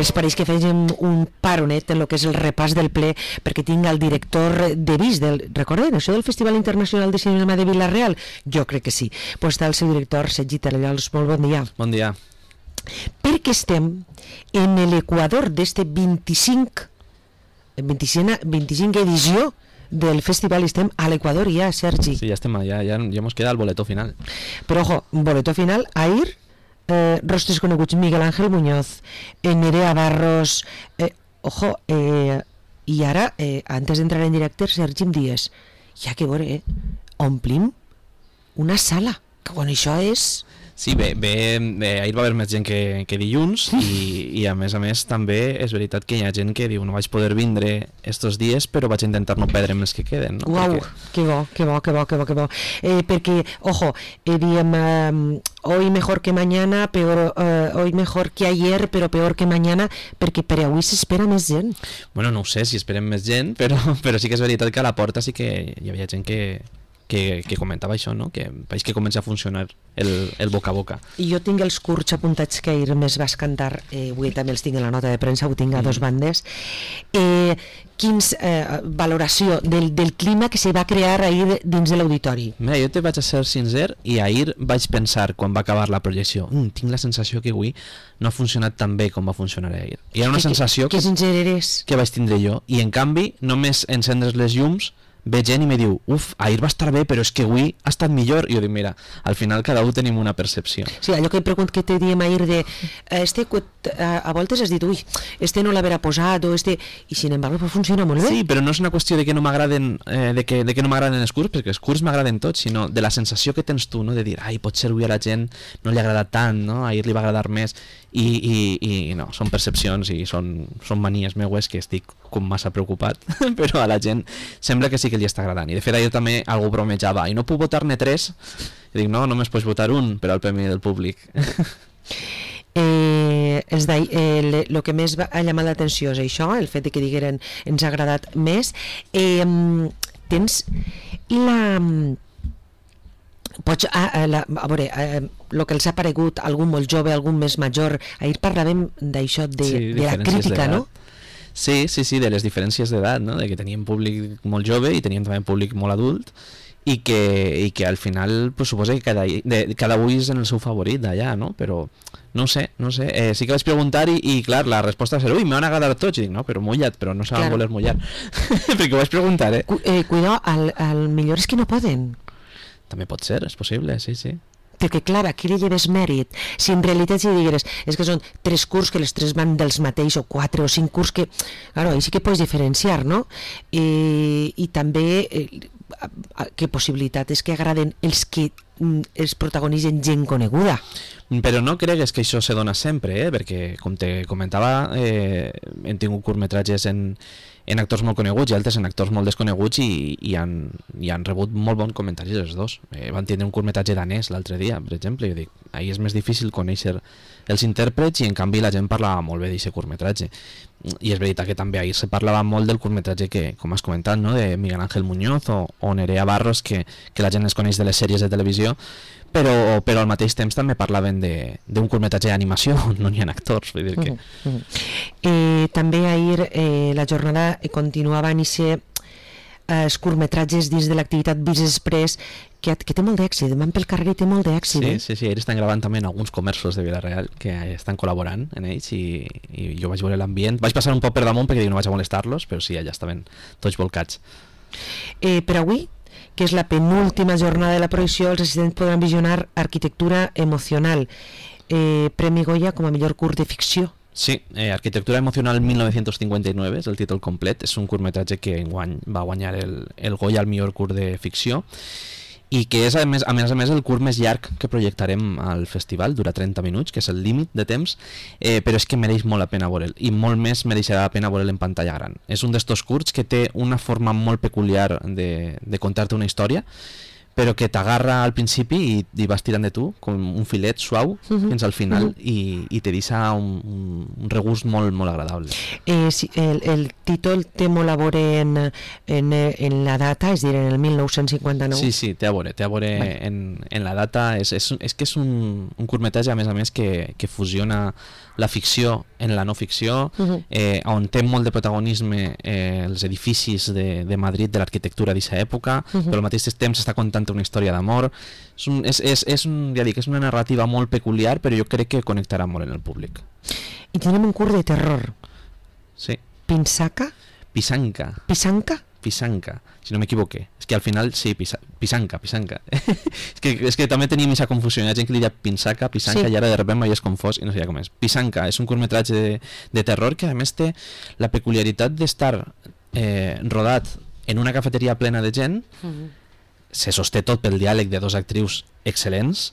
es pareix que fèiem un paronet en el que és el repàs del ple, perquè tinc el director de VIS, recorden això del Festival Internacional de Cinema de Vila-real? Jo crec que sí. Pues està el seu director, Sergi Tarallols. Molt bon dia. Bon dia. Perquè estem en l'equador d'este 25 edició del festival, estem a l'equador ja, Sergi. Sí, ja estem, ja mos queda el boletó final. Però ojo, boletó final, ahir, rostres coneguts, Miguel Ángel Muñoz, Nerea Barros, i ara, antes d'entrar en directe, Sergi em dies, ja que veure, omplim una sala, que quan això és... Sí, bé, ahir va haver més gent que dilluns i a més també és veritat que hi ha gent que diu no vaig poder vindre estos dies però vaig intentar no perdre'm els que queden, no? Uau, perquè... que bo. Perquè, ojo, diem hoy mejor que mañana, hoy mejor que ayer, però peor que mañana, perquè per avui s'espera més gent. Bueno, no ho sé si esperem més gent, però sí que és veritat que a la porta sí que hi havia gent que comentava això, no? Que veig que comença a funcionar el boca a boca. I jo tinc els curts apuntats que ahir més vas cantar, avui també els tinc en la nota de premsa, ho tinc a dos bandes. Quins valoració del clima que se va crear ahir dins de l'auditori? Mira, jo te vaig a ser sincer i ahir vaig pensar, quan va acabar la projecció, tinc la sensació que avui no ha funcionat tan bé com va funcionar ahir. I era una sensació que sincer eres? Que vaig tindre jo, i en canvi només encendres les llums ve gent i me diu, ahir va estar bé, però és que avui ha estat millor. I jo dic, mira, al final cada un tenim una percepció. Sí, allò que te diem ahir de a voltes has dit, este no l'haverà posat, o este... I sin embargo funciona molt bé. Sí, però no és una qüestió de que no m'agraden de que no m'agraden els curts, perquè els curts m'agraden tots, sinó de la sensació que tens tu, no? De dir, potser avui a la gent no li agrada tant, no? Ahir li va agradar més, i no, són percepcions i són manies meues que estic com massa preocupat, però a la gent sembla que sí que li està agradant. I de fet ahir també algú bromejava, i no puc votar-ne 3? I dic, no, només pots votar un per al premi del públic. El que més ha llamat l'atenció és això, el fet de que digueren ens ha agradat més. Tens la... Pots, a veure, el que els ha paregut algun molt jove, algun més major, ahir parlàvem d'això de la crítica, no? Sí, de les diferències d'edat, no? De que teníem públic molt jove i teníem també públic molt adult i que al final pues, suposa que cada un és en el seu favorit d'allà, no? Però no sé, sí que vaig preguntar i clar, la resposta va ser m'han agradat tots, i dic, no, però mulla't, però no saben voler mullar perquè ho vaig preguntar, Cuidado, al millor és que no poden. També pot ser, és possible, sí. Perquè clar, aquí li lleves mèrit. Si en realitat si digueres és que són 3 curs que les 3 van dels mateix, o 4 o 5 curs que, claro, ahí sí que pots diferenciar, no? I també que possibilitat és que agraden els que els protagonitzen gent coneguda. Però no cregues que això se dona sempre, perquè com te comentava hem tingut curtmetratges en actors molt coneguts i altres en actors molt desconeguts i han rebut molt bons comentaris els dos. Van tindre un curtmetratge danès l'altre dia, per exemple, i jo dic, ahir és més difícil conèixer els intèrprets i en canvi la gent parlava molt bé d'aquest curtmetratge. I és veritat que també ahir se parlava molt del curtmetratge que, com has comentat, no? De Miguel Ángel Muñoz o Nerea Barros, que la gent es coneix de les sèries de televisió, però al mateix temps també parlaven d'un curtmetratge d'animació on no hi ha actors, vull dir que... També ahir la jornada continuava en els curtmetratges dins de l'activitat VIS Express que té molt d'èxit, van pel carrer i té molt d'èxit. Sí, ells estan gravant també en alguns comerços de Vila-real que estan col·laborant en ells i jo vaig veure l'ambient, vaig passar un poc per damunt perquè no vaig a molestar-los, però sí, allà estaven tots volcats. Per avui, que és la penúltima jornada de la projecció, els assistents podran visionar Arquitectura Emocional, Premi Goya com a millor curt de ficció. Sí, Arquitectura Emocional 1959 és el títol complet, és un curtmetratge que enguany va guanyar el Goya al millor curt de ficció i que és a més el curt més llarg que projectarem al festival, dura 30 minuts, que és el límit de temps, però és que mereix molt la pena veure'l i molt més mereixerà la pena veure'l en pantalla gran. És un d'estos curts que té una forma molt peculiar de contar-te una història, però que t'agarra al principi i vas tirant de tu, com un filet suau, fins al final, i te deixa un regust molt, molt agradable. Sí, el títol té molt a veure en la data, és a dir, en el 1959. Sí, té a veure en la data. És que és un curtmetratge, a més, que fusiona la ficció en la no ficció, on té molt de protagonisme els edificis de Madrid, de l'arquitectura d'aquesta època, però al mateix temps està contant una història d'amor. És una narrativa molt peculiar, però jo crec que connectarà molt en el públic. I tenim un curt de terror. Sí. Pisanka, si no m'equivoqué. És que al final, sí, Pisanka. és que també tenim aquesta confusió. Hi ha gent que li diu Pisanka, sí. I ara de sobte m'hi és confós i no sé com és. Pisanka és un curtmetratge de terror que a més té la peculiaritat d'estar rodat en una cafeteria plena de gent, se sosté tot pel diàleg de dos actrius excel·lents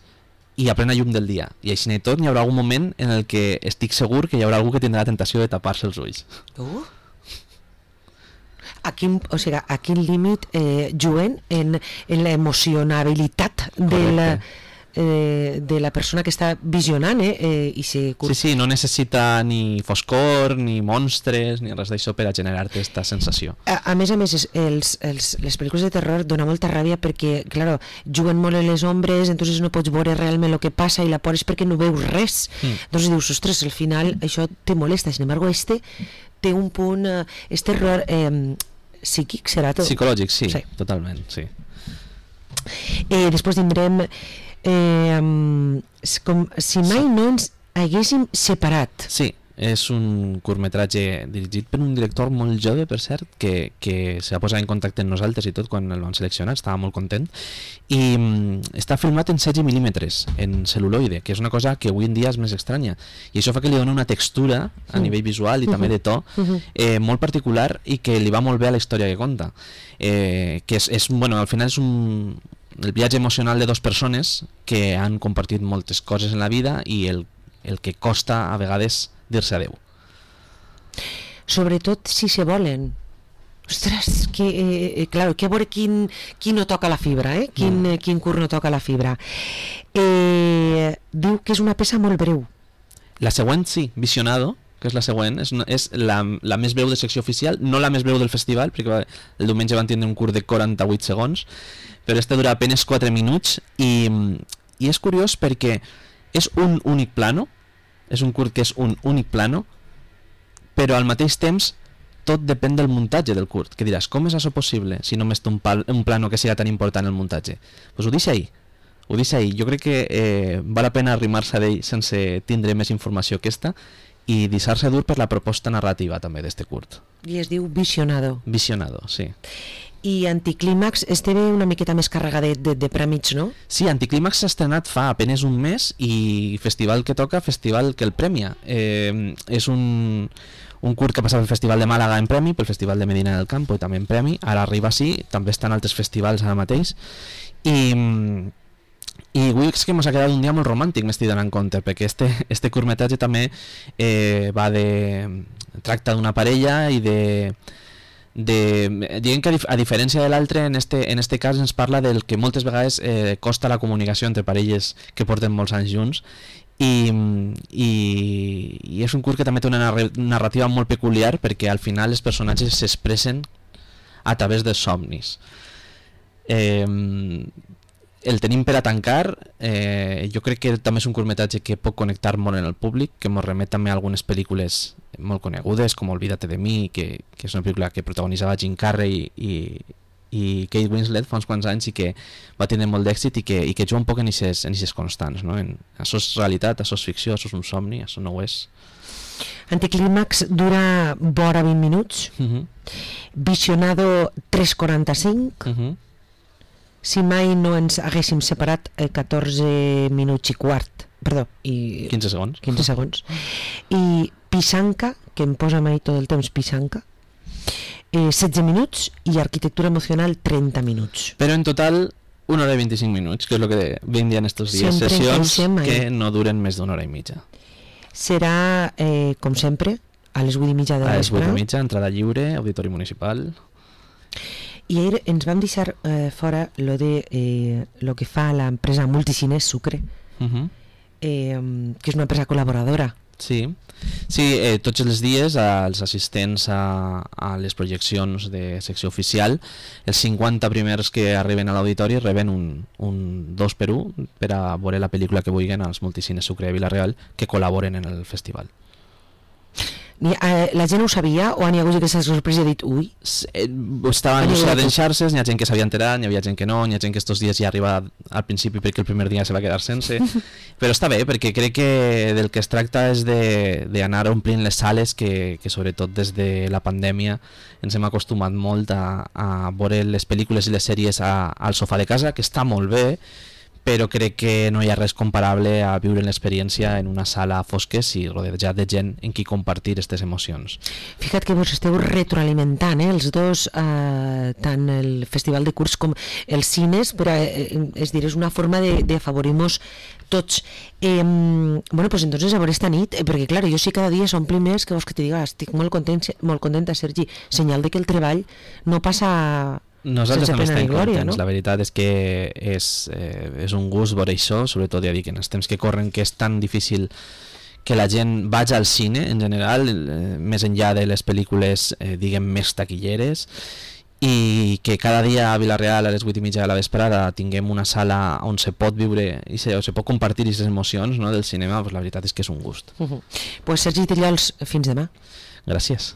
i a plena llum del dia. I així i tot hi haurà algun moment en el que estic segur que hi haurà algú que tindrà la tentació de tapar-se els ulls. A quin límit juguen en l'emocionabilitat de la persona que està visionant Sí, no necessita ni foscor, ni monstres, ni res d'això per a generar-te aquesta sensació. A més, les pel·lícules de terror dona molta ràbia perquè, claro, juguen molt en les ombres, entonces no pots veure realment el que passa i la por és perquè no veus res. Entonces dius, ostres, al final això te molesta. Sin embargo, té un punt, terror psíquic, serà tot? Psicològic, sí, totalment, sí. Després tindrem com si mai no ens haguéssim separat. Sí, és un curtmetratge dirigit per un director molt jove, per cert, que se va posar en contacte amb nosaltres i tot quan el vam seleccionar, estava molt content, i està filmat en 16 mil·límetres, en cel·luloide, que és una cosa que avui en dia és més estranya, i això fa que li dona una textura a nivell visual i també de to molt particular i que li va molt bé a la història que conta, que al final és el viatge emocional de dues persones que han compartit moltes coses en la vida i el que costa a vegades dir-se adeu. Sobretot si se volen. Ostres, claro, que a veure qui no toca la fibra, quin curt no toca la fibra. Diu que és una peça molt breu. La següent, sí, Visionado, que és la següent, és la més breu de secció oficial, no la més breu del festival, perquè el diumenge van tindre un curt de 48 segons, però este dura apenas 4 minuts i és curiós perquè és un únic plano, és un curt que és un únic plano, però al mateix temps tot depèn del muntatge del curt, que diràs, com és això possible si només té un plano que sigui tan important el muntatge? Doncs ho deixa ahí. Jo crec que val la pena arrimar-se d'ell sense tindre més informació que esta i deixar-se dur per la proposta narrativa també d'este curt. I es diu Visionado. Visionado, sí. I Anticlímax esteve una miqueta més carregadet de prèmits, no? Sí, Anticlímax s'ha estrenat fa apenas un mes i festival que toca, festival que el premia. És un curt que passava pel Festival de Màlaga en premi, pel Festival de Medina del Campo i també en premi, ara arriba així, també està en altres festivals ara mateix i avui és que ens ha quedat un dia molt romàntic, m'estic donant compte, perquè este curtmetratge també tracta d'una parella i diguem que a diferència de l'altre, en este cas ens parla del que moltes vegades costa la comunicació entre parelles que porten molts anys junts i és un curt que també té una narrativa molt peculiar perquè al final els personatges s'expressen a través dels somnis. El tenim per a tancar, jo crec que també és un curtmetratge que pot connectar molt en el públic, que ens remet també a algunes pel·lícules molt conegudes com Olvídate de mi, que és una pel·lícula que protagonitzava Jim Carrey i Kate Winslet fa uns quants anys i que va tenir molt d'èxit i que juga un poc en aquestes constants, no? Això és realitat, això és ficció, això és un somni, això no ho és. Anticlímax dura vora 20 minuts, Visionado 3:45, si mai no ens haguéssim separat 14 minuts i quart, perdó, i 15 segons. I Pisanka, que em posa mai tot el temps Pisanka, 16 minuts i Arquitectura emocional 30 minuts. Però en total 1 hora i 25 minuts, que és el que veiem en estos dies, sessions que no duren més d'una hora i mitja. Serà, com sempre, a les 8:30 de la vespre. A les 8:30, entrada lliure, auditori municipal. I ahir ens vam deixar fora lo que fa l'empresa Multicines Sucre, que és una empresa col·laboradora. Sí, tots els dies els assistents a les projeccions de secció oficial, els 50 primers que arriben a l'auditori reben un 2x1 per a veure la pel·lícula que vulguin als Multicines Sucre de Vila-real que col·laboren en el festival. La gent ho sabia o n'hi ha hagut aquesta sorpresa i ha dit ui? Estava anunciat en xarxes, n'hi ha gent que s'havia enterat, n'hi havia gent que no, n'hi ha gent que estos dies ja arriba al principi perquè el primer dia se va quedar sense, però està bé perquè crec que del que es tracta és d'anar omplint les sales que sobretot des de la pandèmia ens hem acostumat molt a veure les pel·lícules i les sèries al sofà de casa, que està molt bé, però crec que no hi ha res comparable a viure l'experiència en una sala a fosques i rodejat de gent en qui compartir aquestes emocions. Fica't que vos esteu retroalimentant, els dos, tant el festival de curs com els cines, però és dir, és una forma d'afavorir-nos tots. Bueno, pues entonces a veure esta nit, perquè clar, jo sí cada dia s'ompli més, que vols que te diga, estic molt contenta, Sergi, senyal de que el treball no passa... Nosaltres també estem contents, no? La veritat és que és un gust veure això, sobretot ja dic, en els temps que corren, que és tan difícil que la gent vagi al cine en general, més enllà de les pel·lícules diguem més taquilleres, i que cada dia a Vila-real a les 8:30 de la vesprada tinguem una sala on se pot viure i se pot compartir aquestes emocions, no, del cinema, pues la veritat és que és un gust. Pues Sergi Trullols, fins demà. Gràcies.